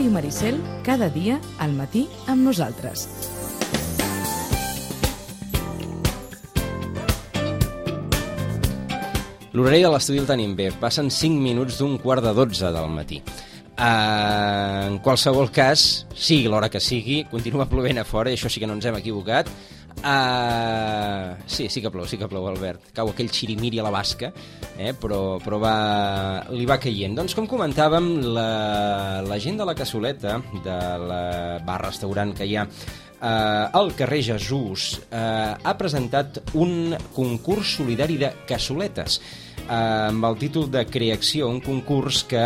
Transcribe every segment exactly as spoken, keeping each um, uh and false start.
Ràdio Maricel, cada dia al matí amb nosaltres. L'horari de l'estudi el tenim bé. Passen cinc minuts d'un quart de dotze del matí. Uh, en qualsevol cas, sigui l'hora que sigui, continua plovent a fora, i això sí que no ens hem equivocat. Uh, sí, sí que plou, sí que plou, Albert. Cau aquell xirimiri a la basca, eh? però, però va, li va caient. Doncs, com comentàvem, la, la gent de la Cassoleta, de la bar-restaurant que hi ha Uh, al carrer Jesús, uh, ha presentat un concurs solidari de cassoletes, uh, amb el títol de Creacció, un concurs que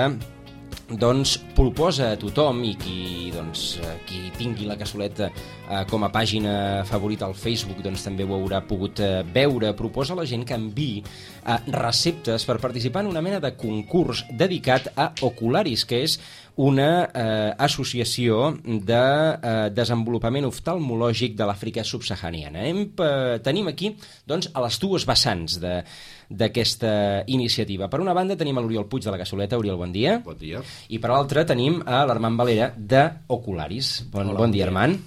doncs proposa a tothom, i qui, doncs, qui tingui la Cassoleta eh, com a pàgina favorita al Facebook, doncs també ho haurà pogut eh, veure, proposa a la gent que enviï eh, receptes per participar en una mena de concurs dedicat a Ocularis, que és una eh, associació de eh, desenvolupament oftalmològic de l'Àfrica subsahariana. Hem, eh, tenim aquí doncs, a les dues vessants de d'aquesta iniciativa. Per una banda tenim l'Oriol Puig de la Cassoleta. Oriol, bon dia. Bon dia. I per l'altra tenim a l'Armand Valera de Ocularis. Bon, Hola, bon dia, Armand.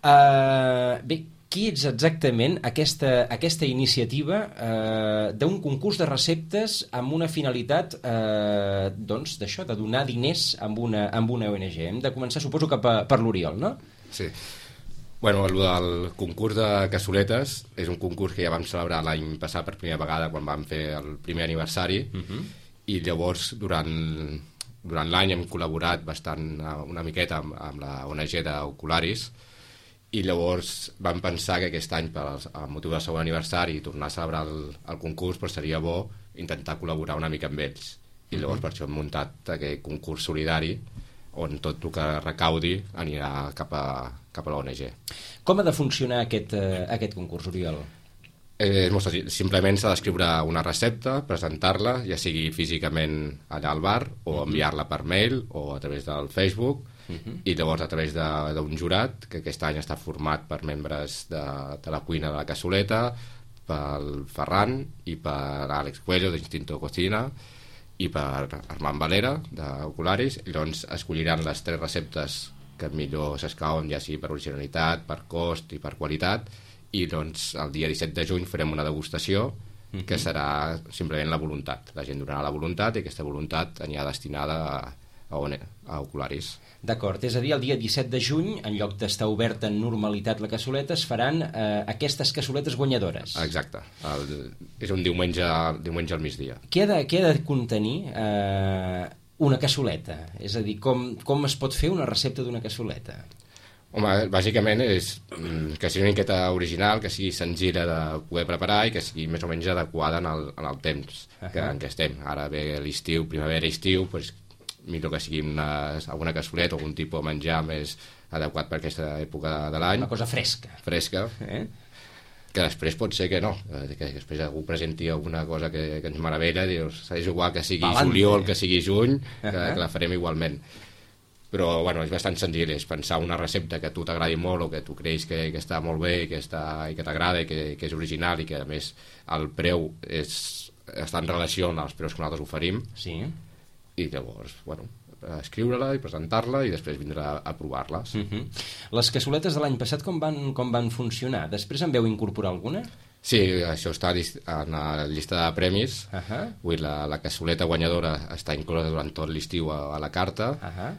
Uh, bé, qui ets exactament aquesta, aquesta iniciativa uh, d'un concurs de receptes amb una finalitat uh, doncs d'això, de donar diners amb una, amb una O N G? Hem de començar, suposo, que per, per l'Oriol, no? Sí. Bueno, el del concurs de cassoletes és un concurs que ja vam celebrar l'any passat per primera vegada quan vam fer el primer aniversari, uh-huh. i llavors durant, durant l'any hem col·laborat bastant una miqueta amb, amb la O N G d'Ocularis, i llavors vam pensar que aquest any, per al motiu del segon aniversari, tornar a celebrar el, el concurs, però seria bo intentar col·laborar una mica amb ells. I llavors uh-huh. per això hem muntat aquest concurs solidari, on tot el que recaudi anirà cap a, cap a l'O N G. Com ha de funcionar aquest, uh, aquest concurs, Oriol? Eh, és molt senzill. Simplement s'ha d'escriure una recepta, presentar-la, ja sigui físicament allà al bar, o enviar-la per mail, o a través del Facebook, uh-huh. i llavors a través d'un jurat, que aquest any està format per membres de, de la cuina de la Cassoleta, pel Ferran i per Àlex Cuello, d'Instinto Cocina, i per Armand Valera d'Ocularis. Llavors escolliran les tres receptes que millor s'escauen, ja sigui per originalitat, per cost i per qualitat, i doncs el dia disset de juny farem una degustació uh-huh. que serà simplement la voluntat. La gent donarà la voluntat i aquesta voluntat anirà destinada a, a, a Ocularis. D'acord, és a dir, el dia disset de juny, en lloc d'estar oberta en normalitat la Cassoleta, es faran eh, aquestes cassoletes guanyadores. Exacte, el, és un diumenge, diumenge al migdia. Què ha de, què ha de contenir eh, una cassoleta? És a dir, com, com es pot fer una recepta d'una cassoleta? Home, bàsicament és que sigui una miqueta original, que sigui senzilla de poder preparar i que sigui més o menys adequada en el, en el temps uh-huh. que, en què estem. Ara ve l'estiu, primavera-estiu, doncs millor que sigui una, alguna cassoleta o algun tipus de menjar més adequat per aquesta època de l'any. Una cosa fresca. Fresca. Eh? Que després pot ser que no, que després algú presenti alguna cosa que, que ens meravella, dius, és igual que sigui Palante. Juliol, que sigui juny, que, uh-huh. que la farem igualment. Però bueno, és bastant senzill, és pensar una recepta que a tu t'agradi molt o que tu creus que, que està molt bé i que, està, i que t'agrada i que, que és original i que a més el preu és, està en relació als preus que nosaltres oferim. Sí. I llavors, bueno, escriure-la i presentar-la i després vindrà a provar-les. Uh-huh. Les cassoletes de l'any passat com van, com van funcionar? Després en veu incorporar alguna? Sí, això està en la llista de premis. Uh-huh. Vull, la, la cassoleta guanyadora està inclosa durant tot l'estiu a, a la carta, uh-huh.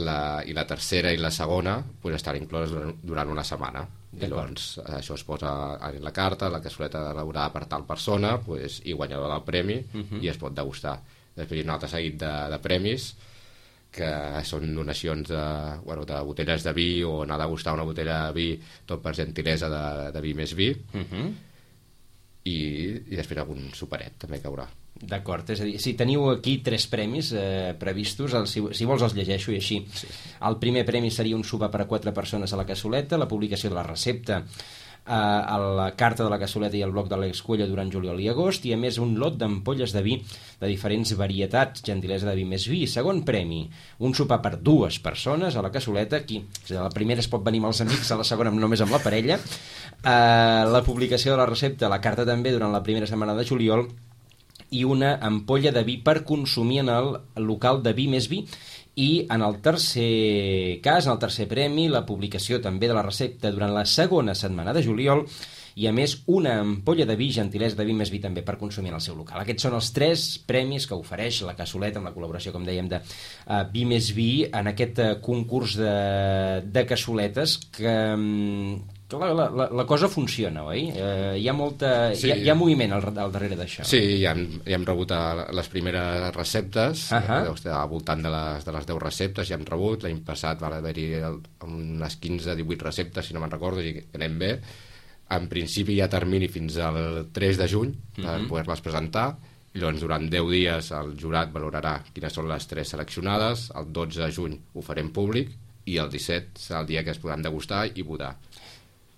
la, i la tercera i la segona pues, estan incloses durant, durant una setmana. I llavors això es posa en la carta, la cassoleta elaborada per tal persona, pues, i guanyadora del premi, uh-huh. i es pot degustar. Després hi ha un altre seguit de, de premis que són donacions de, bueno, de botelles de vi o anar a degustar una botella de vi tot per gentilesa de, de vi més vi uh-huh. I, i després algun superet també caurà. D'acord, és a dir, si teniu aquí tres premis eh, previstos, el, si, si vols els llegeixo i així. Sí. El primer premi seria un sopar per a quatre persones a la Cassoleta, la publicació de la recepta a la carta de la Cassoleta i el blog de l'Àlex Cuello durant juliol i agost, i a més un lot d'ampolles de vi de diferents varietats, gentilesa de vi més vi. Segon premi, un sopar per dues persones a la Cassoleta, aquí la primera es pot venir amb els amics, a la segona només amb la parella. Uh, la publicació de la recepta, la carta també durant la primera setmana de juliol, i una ampolla de vi per consumir en el local de Vi més Vi. I en el tercer cas, en el tercer premi, la publicació també de la recepta durant la segona setmana de juliol i, a més, una ampolla de vi, gentilesa de Vi més Vi també per consumir en el seu local. Aquests són els tres premis que ofereix la cassoleta amb la col·laboració, com dèiem, de uh, Vi més Vi en aquest uh, concurs de, de cassoletes que... Um, La, la, la cosa funciona, oi? Eh, hi ha molta... Sí. Hi, ha, hi ha moviment al, al darrere d'això. Sí, ja hem, ja hem rebut les primeres receptes, uh -huh. deu estar al voltant de les, de les deu receptes, ja hem rebut. L'any passat va haver-hi unes quinze divuit receptes, si no me'n recordo, i anem bé. En principi hi ha termini fins al tres de juny per uh -huh. poder-les presentar, i llavors durant deu dies el jurat valorarà quines són les tres seleccionades, el dotze de juny ho farem públic, i el disset serà el dia que es podran degustar i votar.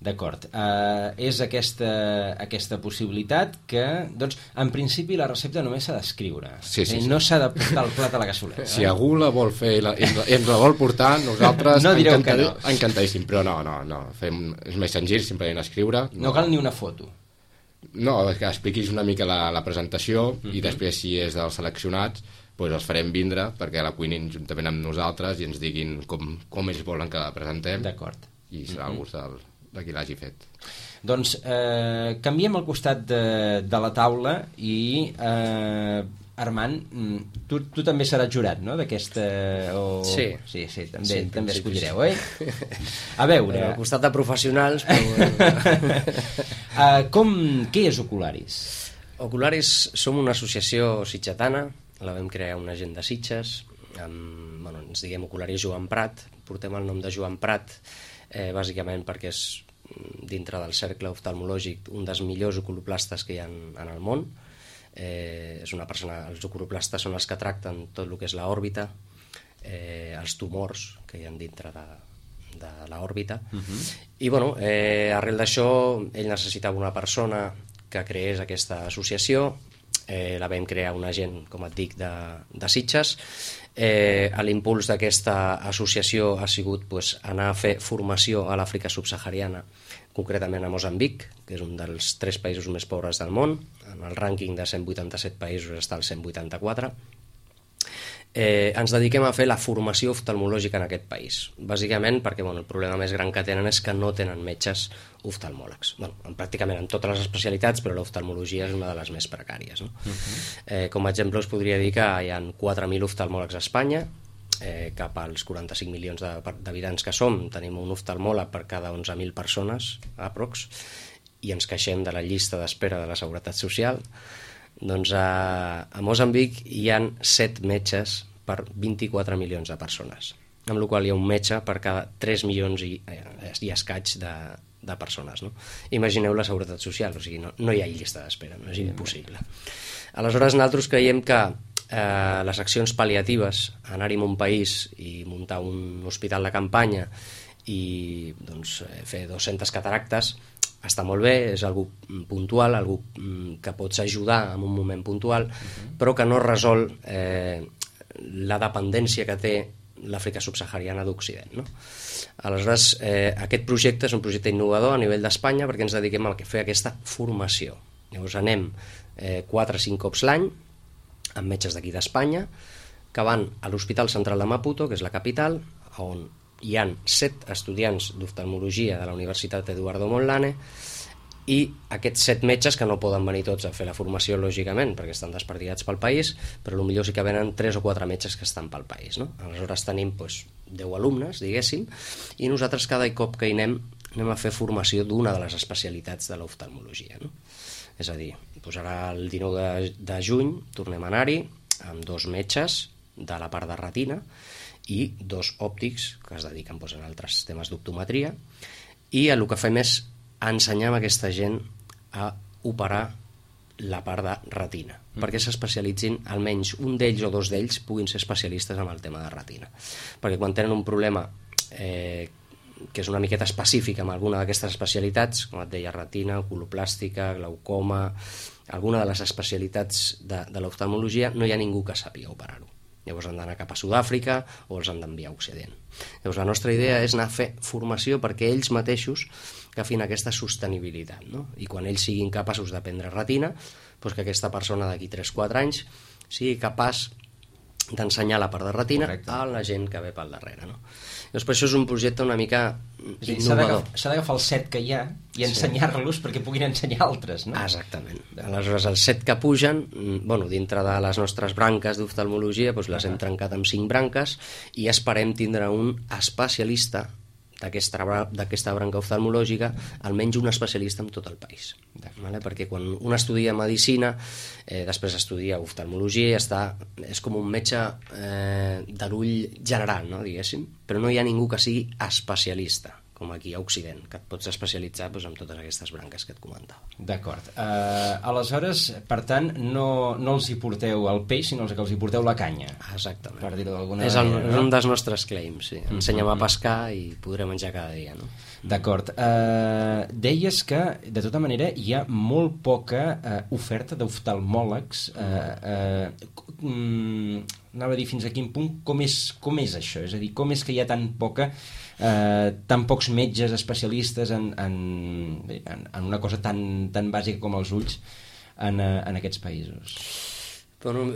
D'acord. Uh, és aquesta, aquesta possibilitat que, doncs, en principi la recepta només s'ha d'escriure. Sí, sí, sí. No s'ha de portar el plat a la cassoleta. Si eh? algú la vol fer i, la, i ens la vol portar, nosaltres no direu que no. Encantadíssim, però no, no, no. Fem, és més senzill simplement escriure. No, no cal ni una foto. No, que expliquis una mica la, la presentació uh-huh. i després, si és dels seleccionats, doncs els farem vindre perquè la cuinin juntament amb nosaltres i ens diguin com, com ells volen que la presentem. D'acord. I serà uh-huh. el gust del... de qui l'hagi fet. Doncs eh, canviem al costat de, de la taula i eh, Armand, tu, tu també seràs jurat, no?, d'aquesta... O... Sí. Sí, sí, també, sí, també sí, escollireu, sí. oi? A veure... Al costat de professionals, però... uh, com... Què és Ocularis? Ocularis som una associació sitgetana, la vam crear una gent de Sitges, amb, bueno, ens diguem Ocularis Joan Prat, portem el nom de Joan Prat, Eh, bàsicament perquè és, dintre del cercle oftalmològic, un dels millors oculoplastes que hi ha en, en el món. Eh, és una persona, els oculoplastes són els que tracten tot el que és l'òrbita, eh, els tumors que hi ha dintre de, de l'òrbita. Uh-huh. I bueno, eh, arrel d'això, ell necessitava una persona que creés aquesta associació. Eh, la vam crear una gent, com et dic, de, de Sitges. Eh, l'impuls d'aquesta associació ha sigut pues, anar a fer formació a l'Àfrica subsahariana, concretament a Moçambic, que és un dels tres països més pobres del món. En el rànquing de cent vuitanta-set països està al cent vuitanta-quatre. Eh, ens dediquem a fer la formació oftalmològica en aquest país, bàsicament perquè bueno, el problema més gran que tenen és que no tenen metges oftalmòlegs, bueno, en pràcticament en totes les especialitats, però l'oftalmologia és una de les més precàries, no? Uh-huh. eh, com a exemple us podria dir que hi ha quatre mil oftalmòlegs a Espanya, eh, cap als quaranta-cinc milions d'habitants que som tenim un oftalmòleg per cada onze mil persones aprox, i ens queixem de la llista d'espera de la Seguretat Social. Doncs a, a Moçambic hi ha set metges per vint-i-quatre milions de persones, amb la qual hi ha un metge per cada tres milions i, eh, i escaig de, de persones, no? Imagineu la Seguretat Social, o sigui, no, no hi ha llista d'espera, no és impossible. Aleshores, nosaltres creiem que eh, les accions pal·liatives, anar-hi a un país i muntar un hospital de campanya i doncs, fer dues-centes cataractes, està molt bé, és algú puntual, algú que pots ajudar en un moment puntual, uh-huh. però que no resol eh, la dependència que té l'Àfrica subsahariana d'Occident, no? Aleshores, eh, aquest projecte és un projecte innovador a nivell d'Espanya perquè ens dediquem a fer aquesta formació. Llavors anem eh, quatre o cinc cops l'any amb metges d'aquí d'Espanya que van a l'Hospital Central de Maputo, que és la capital, on hi ha set estudiants d'oftalmologia de la Universitat Eduardo Mondlane, i aquests set metges, que no poden venir tots a fer la formació, lògicament, perquè estan desperdigats pel país, però potser sí que venen tres o quatre metges que estan pel país, no? Aleshores tenim doncs, deu alumnes, diguéssim, i nosaltres cada cop que hi anem anem a fer formació d'una de les especialitats de l'oftalmologia, no? És a dir, doncs ara el dinou de, de juny tornem a anar-hi amb dos metges de la part de retina i dos òptics que es dediquen doncs, a altres temes d'optometria, i el que fem és ensenyar a aquesta gent a operar la part de retina, mm. perquè s'especialitzin, almenys un d'ells o dos d'ells puguin ser especialistes en el tema de retina, perquè quan tenen un problema eh, que és una miqueta específic amb alguna d'aquestes especialitats, com et deia, retina, oculoplàstica, glaucoma, alguna de les especialitats de, de l'oftalmologia, no hi ha ningú que sàpiga operar-ho. Llavors han d'anar cap a Sud-àfrica o els han d'enviar a Occident. Llavors la nostra idea és anar a fer formació perquè ells mateixos agafin aquesta sostenibilitat, no? I quan ells siguin capaços de prendre retina, doncs que aquesta persona d'aquí tres quatre anys sigui capaç d'ensenyar la part de retina Correcte. A la gent que ve pel darrere, no? Llavors per això és un projecte una mica innovador. S'ha d'agafar el set que hi ha i ensenyar-los sí. perquè puguin ensenyar altres, no? Exactament. Aleshores els set que pugen, bueno, dintre de les nostres branques d'oftalmologia, doncs les uh -huh. hem trencat amb cinc branques i esperem tindre un especialista d'aquesta branca oftalmològica, almenys un especialista en tot el país, vale? Perquè quan un estudia medicina, eh, després estudia oftalmologia i està, és com un metge eh, de l'ull general, no, diguéssim, però no hi ha ningú que sigui especialista, com aquí a Occident, que et pots especialitzar doncs, en totes aquestes branques que et comentava. D'acord. Uh, aleshores, per tant, no, no els hi porteu el peix, sinó que els hi porteu la canya. Exactament. Per dir-ho d'alguna és el, manera. És un dels nostres claims, sí. Ensenya'm a pescar i podré menjar cada dia, no? D'acord. Uh, deies que, de tota manera, hi ha molt poca uh, oferta d'oftalmòlegs. Uh, uh, um, anava a dir fins a quin punt, com és, com és això? És a dir, com és que hi ha tan poca... Uh, tan pocs metges especialistes en, en, en, en una cosa tan, tan bàsica com els ulls en, en aquests països? Bueno,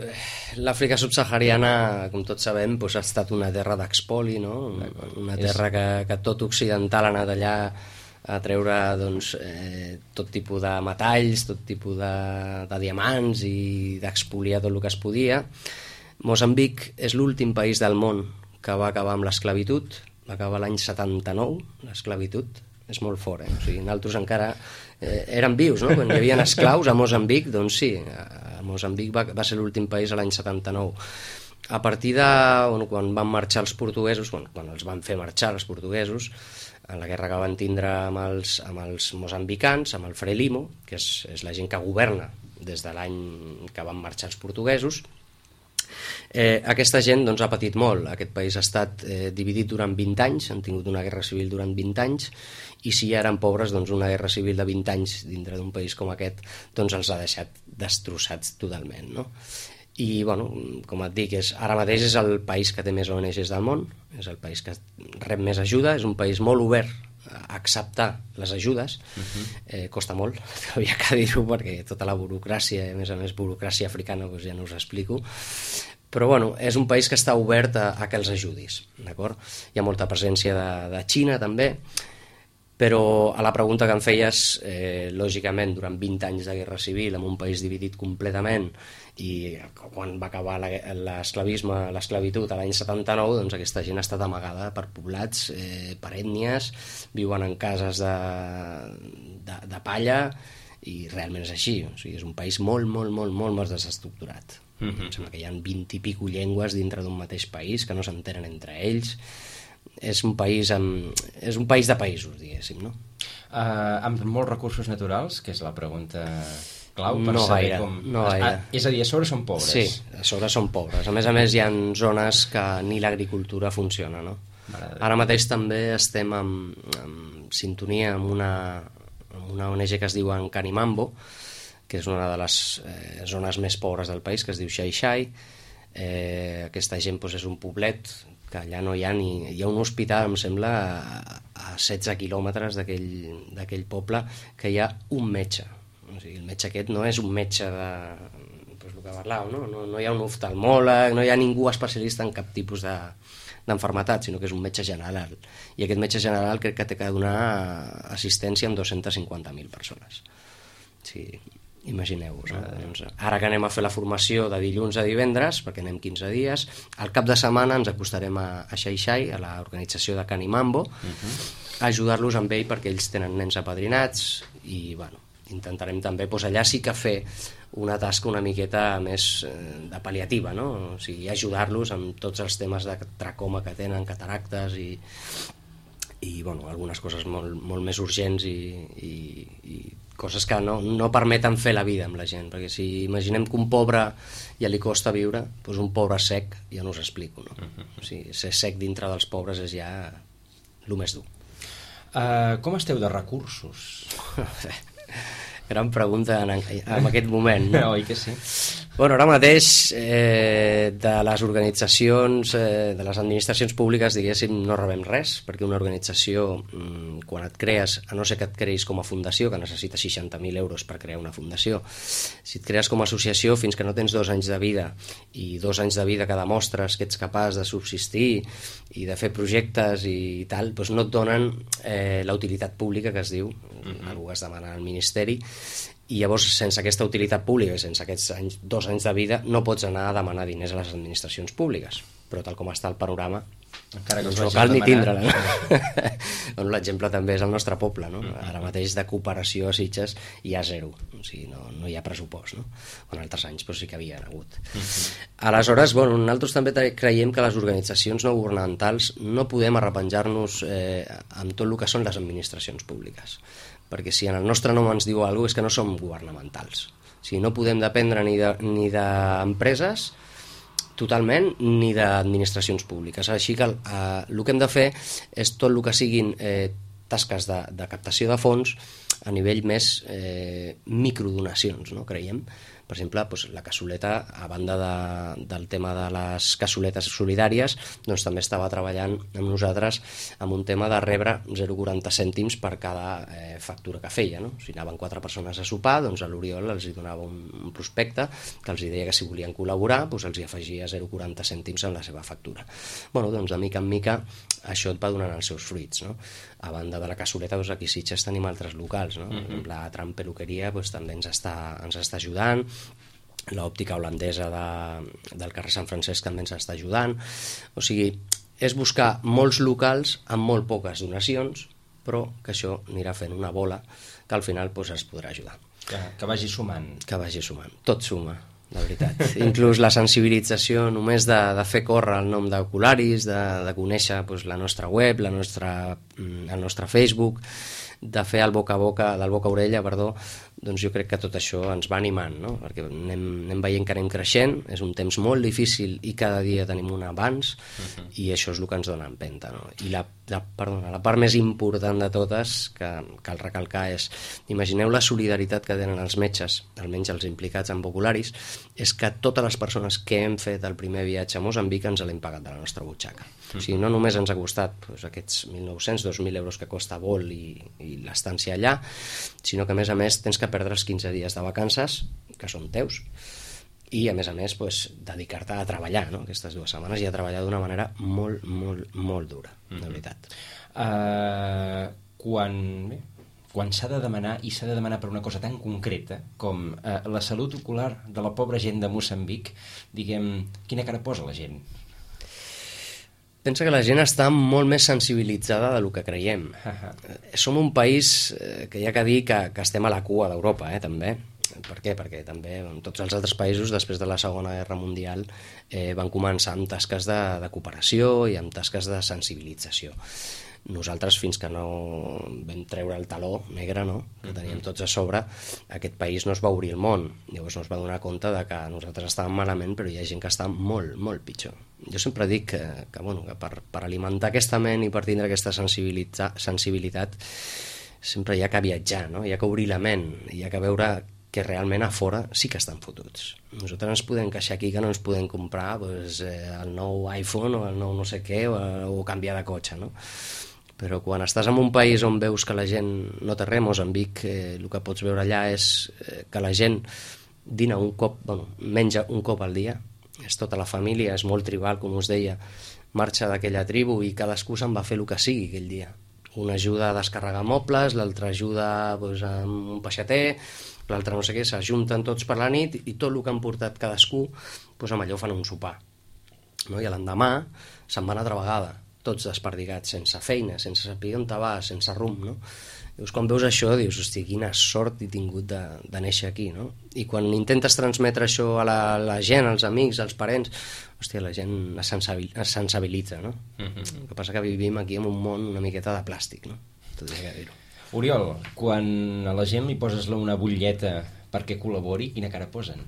l'Àfrica subsahariana, com tots sabem, doncs ha estat una terra d'expoli, no? Una terra que, que tot occidental ha anat allà a treure doncs, eh, tot tipus de metalls, tot tipus de, de diamants i d'expoliar tot el que es podia. Moçambic és l'últim país del món que va acabar amb l'esclavitud, va acabar l'any setanta-nou, l'esclavitud, és molt fort, eh? O sigui, nosaltres encara eh, érem vius, no? Quan hi havia esclaus a Moçambic, doncs sí, a Moçambic va, va ser l'últim país a l'any setanta-nou. A partir de, bueno, quan van marxar els portuguesos, quan, quan els van fer marxar els portuguesos, en la guerra que van tindre amb els, amb els moçambicans, amb el Frelimo, que és, és la gent que governa des de l'any que van marxar els portuguesos, Eh, aquesta gent doncs, ha patit molt. Aquest país ha estat eh, dividit durant vint anys, han tingut una guerra civil durant vint anys, i si ja eren pobres, doncs una guerra civil de vint anys dintre d'un país com aquest doncs els ha deixat destrossats totalment, no? I, bueno, com et dic, és, ara mateix és el país que té més O N Ges del món, és el país que rep més ajuda, és un país molt obert a acceptar les ajudes. Uh-huh. eh, costa molt, havia que dir-ho, perquè tota la burocràcia, a més a més burocràcia africana, doncs ja no us explico, però bueno, és un país que està obert a, a que els ajudis, d'acord? Hi ha molta presència de, de Xina també, però a la pregunta que em feies, eh, lògicament durant vint anys de guerra civil en un país dividit completament, i quan va acabar l'esclavisme, l'esclavitud a l'any setanta-nou, doncs aquesta gent ha estat amagada per poblats, eh, per ètnies, viuen en cases de, de, de palla, i realment és així, o sigui, és un país molt, molt, molt, molt més desestructurat. Mm-hmm. Em sembla que hi ha vint i pico llengües dintre d'un mateix país que no s'entenen entre ells. És un país amb, és un país de països, diguéssim, no? Uh, amb molts recursos naturals, que és la pregunta clau per no saber gaire, com... No gaire. Ah, és a dir, a sobre són pobres. Sí, a sobre són pobres. A més a més hi ha zones que ni l'agricultura funciona, no? Ara mateix també estem en, en sintonia amb una, amb una O N G que es diu Canimambo, que és una de les eh, zones més pobres del país, que es diu Xai-Xai. Eh, aquesta gent doncs, és un poblet que allà no hi ha ni... Hi ha un hospital, em sembla, a, a setze quilòmetres d'aquell poble, que hi ha un metge. O sigui, el metge aquest no és un metge de... Pues, el que parlàvem, no? No, no hi ha un oftalmòleg, no hi ha ningú especialista en cap tipus de d'enfermetat, sinó que és un metge general. I aquest metge general crec que té que donar assistència a dos-centes cinquanta mil persones. Sí, imagineu-vos. No? Doncs, ara que anem a fer la formació de dilluns a divendres, perquè anem quinze dies, al cap de setmana ens acostarem a, a Xai-Xai, a l'organització de Canimambo, uh-huh. a ajudar-los amb ell perquè ells tenen nens apadrinats i, bueno, intentarem també doncs, allà sí que fer una tasca una miqueta més eh, de pal·liativa, no? O sigui, ajudar-los amb tots els temes de tracoma que tenen, cataractes i, i bueno, algunes coses molt, molt més urgents i, i, i coses que no, no permeten fer la vida amb la gent, perquè si imaginem que un pobre ja li costa viure, doncs un pobre sec ja no us explico, no? O sigui, ser sec dintre dels pobres és ja el més dur. Uh, com esteu de recursos? Gran pregunta en, en aquest moment, no? Oi que sí? Bueno, ara mateix eh, de les organitzacions, eh, de les administracions públiques, diguéssim, no rebem res, perquè una organització, mm, quan et crees, a no ser que et creïs com a fundació, que necessites seixanta mil euros per crear una fundació, si et crees com a associació, fins que no tens dos anys de vida, i dos anys de vida que demostres que ets capaç de subsistir i de fer projectes i tal, doncs no et donen eh, la utilitat pública que es diu, mm-hmm. algú que es demana al Ministeri, i llavors sense aquesta utilitat pública i sense aquests anys, dos anys de vida no pots anar a demanar diners a les administracions públiques, però tal com està el panorama encara que no cal ni tindre-la, no? Bueno, l'exemple també és el nostre poble, no? Ara mateix de cooperació a Sitges hi ha zero, o sigui, no, no hi ha pressupost, no? En altres anys però sí que havia hagut. Aleshores, bueno, nosaltres també creiem que les organitzacions no governamentals no podem arrepenjar-nos eh, amb tot el que són les administracions públiques, perquè si en el nostre nom ens diu alguna cosa és que no som governamentals. O sigui, no podem dependre ni de, ni d'empreses totalment ni d'administracions públiques. Així que eh, el que hem de fer és tot el que siguin eh, tasques de, de captació de fons a nivell més eh, microdonacions, no? Creiem. Per exemple, doncs, la cassoleta, a banda de, del tema de les cassoletes solidàries, doncs també estava treballant amb nosaltres amb un tema de rebre zero coma quaranta cèntims per cada eh, factura que feia, no? Si anaven quatre persones a sopar, doncs a l'Oriol els hi donava un, un prospecte que els deia que si volien col·laborar doncs els hi afegia zero coma quaranta cèntims en la seva factura. Bueno, doncs de mica en mica això et va donant els seus fruits, no? A banda de la cassoleta, doncs aquí a Sitges tenim altres locals, no? Mm-hmm. La Tram Peluqueria doncs, també ens està, ens està ajudant, l'òptica holandesa de, del carrer Sant Francesc també ens està ajudant. O sigui, és buscar molts locals amb molt poques donacions, però que això anirà fent una bola que al final doncs, es podrà ajudar. Que, que vagi sumant. Que vagi sumant. Tot suma, la veritat. Inclús la sensibilització només de, de fer córrer el nom d'Ocularis, de, de conèixer doncs, la nostra web, la nostra, el nostre Facebook, de fer el boca a boca, del boca a orella, perdó, doncs jo crec que tot això ens va animant, no? Perquè anem, anem veient que anem creixent, és un temps molt difícil i cada dia tenim un avanç, uh-huh. i això és el que ens dona empenta, no? I la, la, perdona, la part més important de totes que cal recalcar és, imagineu la solidaritat que tenen els metges, almenys els implicats en Ocularis, és que totes les persones que hem fet el primer viatge a Moçambic ens l'hem pagat de la nostra butxaca. Uh-huh. O sigui, no només ens ha costat doncs, aquests mil nou-cents, dos mil euros que costa vol i, i l'estància allà, sinó que a més a més tens que perdre els quinze dies de vacances, que són teus, i a més a més pues, dedicar-te a treballar, no? Aquestes dues setmanes, i a treballar d'una manera molt, molt, molt dura, de veritat. Uh, quan bé, quan s'ha de demanar, i s'ha de demanar per una cosa tan concreta com uh, la salut ocular de la pobra gent de Moçambic, diguem, quina cara posa la gent? Pensa que la gent està molt més sensibilitzada del que creiem. Uh-huh. Som un país eh, que hi ha que dir que, que estem a la cua d'Europa, eh, també. Per què? Perquè també en tots els altres països, després de la Segona Guerra Mundial, eh, van començar amb tasques de, de cooperació i amb tasques de sensibilització. Nosaltres, fins que no vam treure el taló negre, no?, que teníem tots a sobre, aquest país no es va obrir el món. Llavors no es va donar compte de que nosaltres estàvem malament, però hi ha gent que està molt, molt pitjor. Jo sempre dic que, que, bueno, que per, per alimentar aquesta ment i per tindre aquesta sensibilitat sempre hi ha que viatjar, no? Hi ha que obrir la ment, hi ha que veure que realment a fora sí que estan fotuts. Nosaltres ens podem queixar aquí que no ens podem comprar pues, eh, el nou iPhone o el nou no sé què o, o canviar de cotxe, no? Però quan estàs en un país on veus que la gent no té res, Moçambic, eh, el que pots veure allà és eh, que la gent dina un cop, bueno, menja un cop al dia, és tota la família, és molt tribal, com us deia, marxa d'aquella tribu i cadascú se'n va fer el que sigui aquell dia. Un ajuda a descarregar mobles, l'altre ajuda pues, amb un peixater, l'altre no sé què, s'ajunten tots per la nit i tot el que han portat cadascú, pues, amb allò fan un sopar. No? I l'endemà se'n van altra vegada, tots desperdigats, sense feina, sense saber on te vas, sense rumb, no? Llavors, quan veus això, dius, hosti, quina sort he tingut de, de néixer aquí, no? I quan intentes transmetre això a la, la gent, als amics, als parents, hòstia, la gent es, sensabil, es sensibilitza, no? Uh-huh. El que passa que vivim aquí en un món una miqueta de plàstic, no? Tot hi ha que dir-ho. Oriol, quan a la gent li poses una butlleta perquè col·labori, quina cara posen?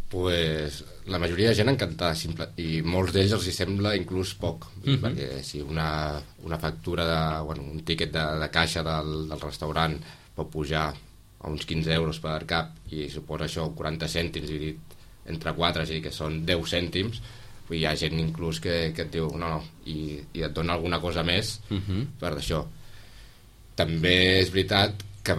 Pues la majoria de gent encantada, simple, i molts d'ells els hi sembla inclús poc, uh-huh. perquè si una, una factura de, bueno, un tiquet de, de caixa del, del restaurant pot pujar a uns quinze euros per cap, i suposa això quaranta cèntims dividit entre quatre, és a dir, que són deu cèntims, hi ha gent inclús que, que et diu no, no, i, i et dona alguna cosa més uh-huh. per això. També és veritat que,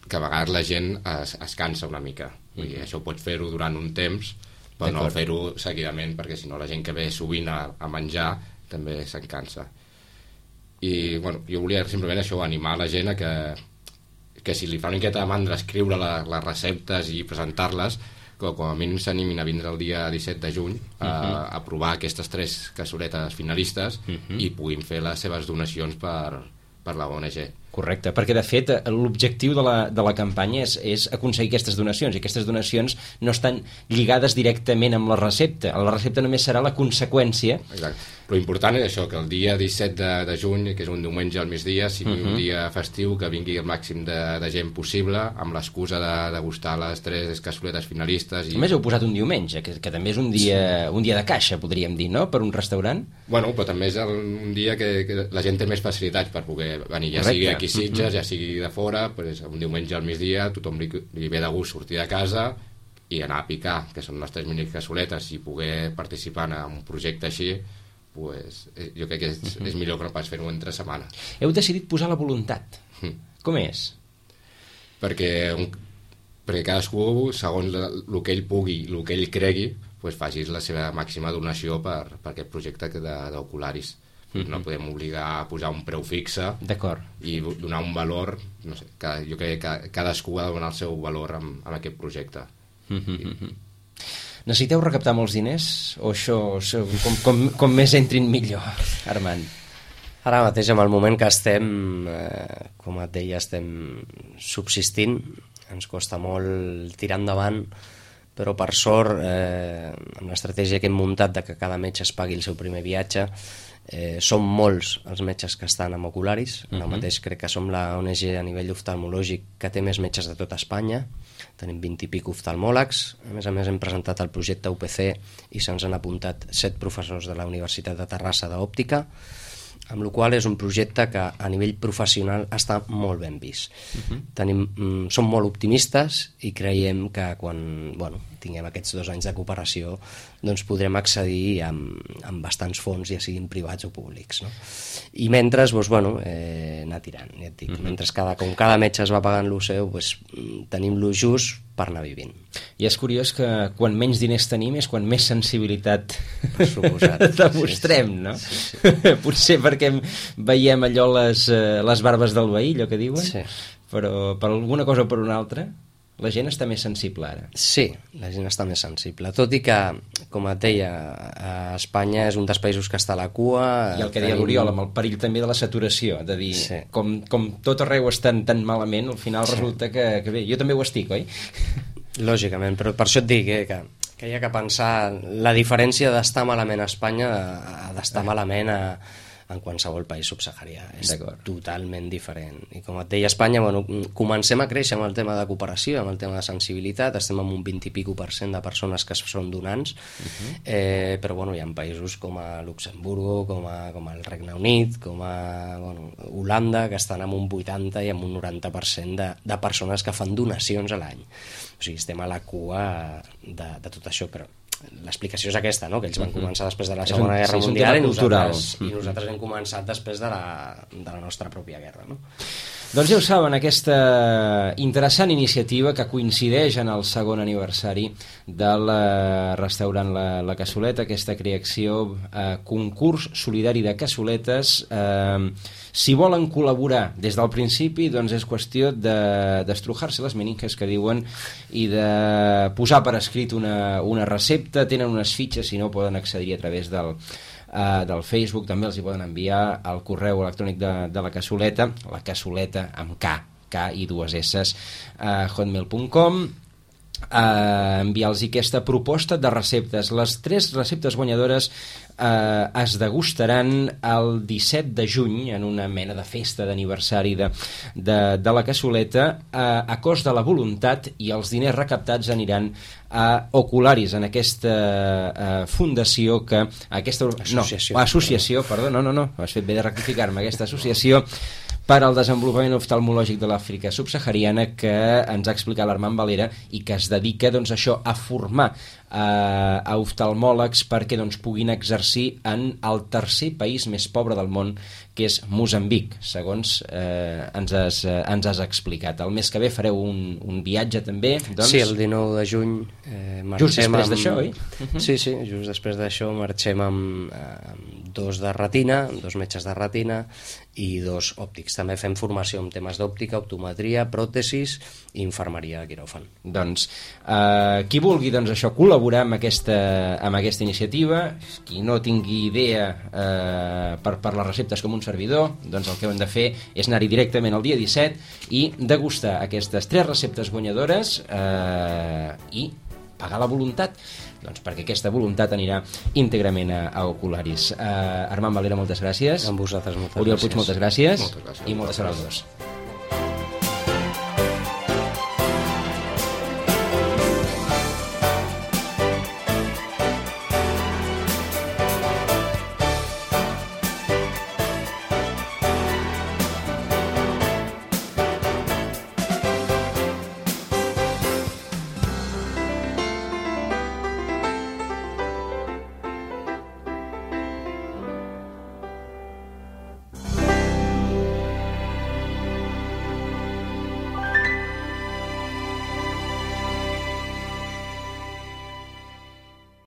que a vegades la gent es, es cansa una mica, vull dir, uh-huh. això pots fer-ho durant un temps, però no fer-ho seguidament, perquè si no la gent que ve sovint a, a menjar també se'n cansa. I bueno, jo volia simplement això, animar la gent a que, que si li fa una miqueta de mandra escriure la, les receptes i presentar-les, que com a mínim s'animin a vindre el dia disset de juny a, uh-huh. a provar aquestes tres cassoletes finalistes uh-huh. i puguin fer les seves donacions per, per la O N G. Correcte, perquè de fet l'objectiu de la, de la campanya és, és aconseguir aquestes donacions, i aquestes donacions no estan lligades directament amb la recepta. La recepta només serà la conseqüència. Exacte. Però important és això, que el dia disset de, de juny, que és un diumenge al migdia, sigui uh-huh. un dia festiu, que vingui el màxim de, de gent possible, amb l'excusa de degustar les tres cassoletes finalistes. I... A més heu posat un diumenge, que, que també és un dia, sí. un dia de caixa, podríem dir, no?, per un restaurant. Bueno, però també és el, un dia que, que la gent té més facilitats per poder venir, ja Correcte. Sigui aquí Sitges, uh-huh. ja sigui de fora, pues, un diumenge al migdia tothom li, li ve de gust sortir de casa i anar a picar, que són les tres mini cassoletes, i poder participar en un projecte així, pues, jo crec que és, uh-huh. és millor que no pas fer-ho entre setmana. Heu decidit posar la voluntat. Mm. Com és? Perquè, un, perquè cadascú, segons el que ell pugui, el que ell cregui, pues, facis la seva màxima donació per, per aquest projecte d'Ocularis. Uh-huh. No podem obligar a posar un preu fixe i donar un valor, no sé, cada, jo crec que cadascú ha de donar el seu valor amb, amb aquest projecte. Uh-huh. I, necessiteu recaptar molts diners o això, com, com, com més entrin millor, Armand? Ara mateix, en el moment que estem, eh, com et deia, estem subsistint, ens costa molt tirar endavant, però per sort, eh, amb l'estratègia que hem muntat de que cada metge es pagui el seu primer viatge, eh, som molts els metges que estan amb Ocularis. Ara uh-huh. mateix crec que som la O N G a nivell oftalmològic que té més metges de tot Espanya. Tenim vint i pic oftalmòlegs. A més a més hem presentat el projecte U P C i se'ns han apuntat set professors de la Universitat de Terrassa d'òptica, amb la qual és un projecte que a nivell professional està molt ben vist. Uh-huh. Tenim, mm, som molt optimistes i creiem que quan bueno, tinguem aquests dos anys de cooperació doncs podrem accedir amb, amb bastants fons, ja siguin privats o públics. No? I mentre, doncs, bueno, eh, anar tirant, ja et dic. Uh-huh. Mentre cada, com cada metge es va pagant lo seu, doncs, tenim lo just per anar vivint. I és curiós que quan menys diners tenim és quan més sensibilitat suposat. demostrem, sí, sí. no? Sí, sí. Potser perquè veiem allò les, les barbes del veí, allò que diuen, sí. Però per alguna cosa o per una altra la gent està més sensible ara. Sí, la gent està més sensible, tot i que, com et deia, a Espanya és un dels països que està a la cua. I el que deia l'Oriol, amb el perill també de la saturació, de dir, sí. com, com tot arreu estan tan malament, al final sí. resulta que, que bé, jo també ho estic, oi? Lògicament, però per això et dic eh, que, que hi ha que pensar la diferència d'estar malament a Espanya a d'estar ah. malament a en qualsevol país subsaharià. És totalment diferent. I com et deia, Espanya, bueno, comencem a créixer amb el tema de cooperació, amb el tema de sensibilitat, estem amb un vint i pico per cent de persones que són donants, uh-huh. eh, però bueno, hi ha països com a Luxemburgo, com, a, com el Regne Unit, com a bueno, Holanda, que estan amb un vuitanta i amb un noranta per cent de, de persones que fan donacions a l'any. O sigui, estem a la cua de, de tot això, però l'explicació és aquesta, no? Que ells van començar després de la Segona un, Guerra sí, Mundial i nosaltres, i nosaltres hem començat després de la, de la nostra pròpia guerra, no? Doncs ja ho saben, aquesta interessant iniciativa que coincideix en el segon aniversari del restaurant La, la Cassoleta, aquesta creació, eh, concurs solidari de cassoletes. Eh, si volen col·laborar des del principi, doncs és qüestió d'estrujar-se les meninges que diuen i de posar per escrit una, una recepta. Tenen unes fitxes, si no poden accedir a través del Uh, del Facebook, també els hi poden enviar al correu electrònic de, de la cassoleta, la cassoleta amb K, K i dues S, uh, hotmail punt com, uh, enviar-los aquesta proposta de receptes. Les tres receptes guanyadores uh, es degustaran el disset de juny en una mena de festa d'aniversari de, de, de la cassoleta uh, a cost de la voluntat, i els diners recaptats aniran a Ocularis, en aquesta uh, fundació que aquesta associació, no, associació perdó, no, no, no, has fet bé de rectificar-me, aquesta associació per al desenvolupament oftalmològic de l'Àfrica subsahariana, que ens ha explicat l'Armand Valera i que es dedica doncs, això a formar eh, a oftalmòlegs perquè doncs, puguin exercir en el tercer país més pobre del món, que és Moçambic, segons eh, ens, has, eh, ens has explicat. El mes que ve fareu un, un viatge també, doncs... Sí, el dinou de juny eh, marxem... Just després amb... d'això, oi? Uh-huh. Sí, sí, just després d'això marxem amb, amb dos de retina, dos metges de retina i dos òptics. També fem formació en temes d'òptica, optometria, pròtesis i infermeria de quiròfan. Doncs eh, qui vulgui doncs, això col·laborar amb aquesta, amb aquesta iniciativa, qui no tingui idea eh, per, per les receptes com un servidor, doncs el que hem de fer és anar-hi directament el dia disset i degustar aquestes tres receptes guanyadores eh, i pagar la voluntat, doncs perquè aquesta voluntat anirà íntegrament a, a Ocularis. Uh, Armand Valera, moltes gràcies. Amb vosaltres, moltes Oriol gràcies. Puig, moltes gràcies. Moltes gràcies. I moltes gràcies als dos.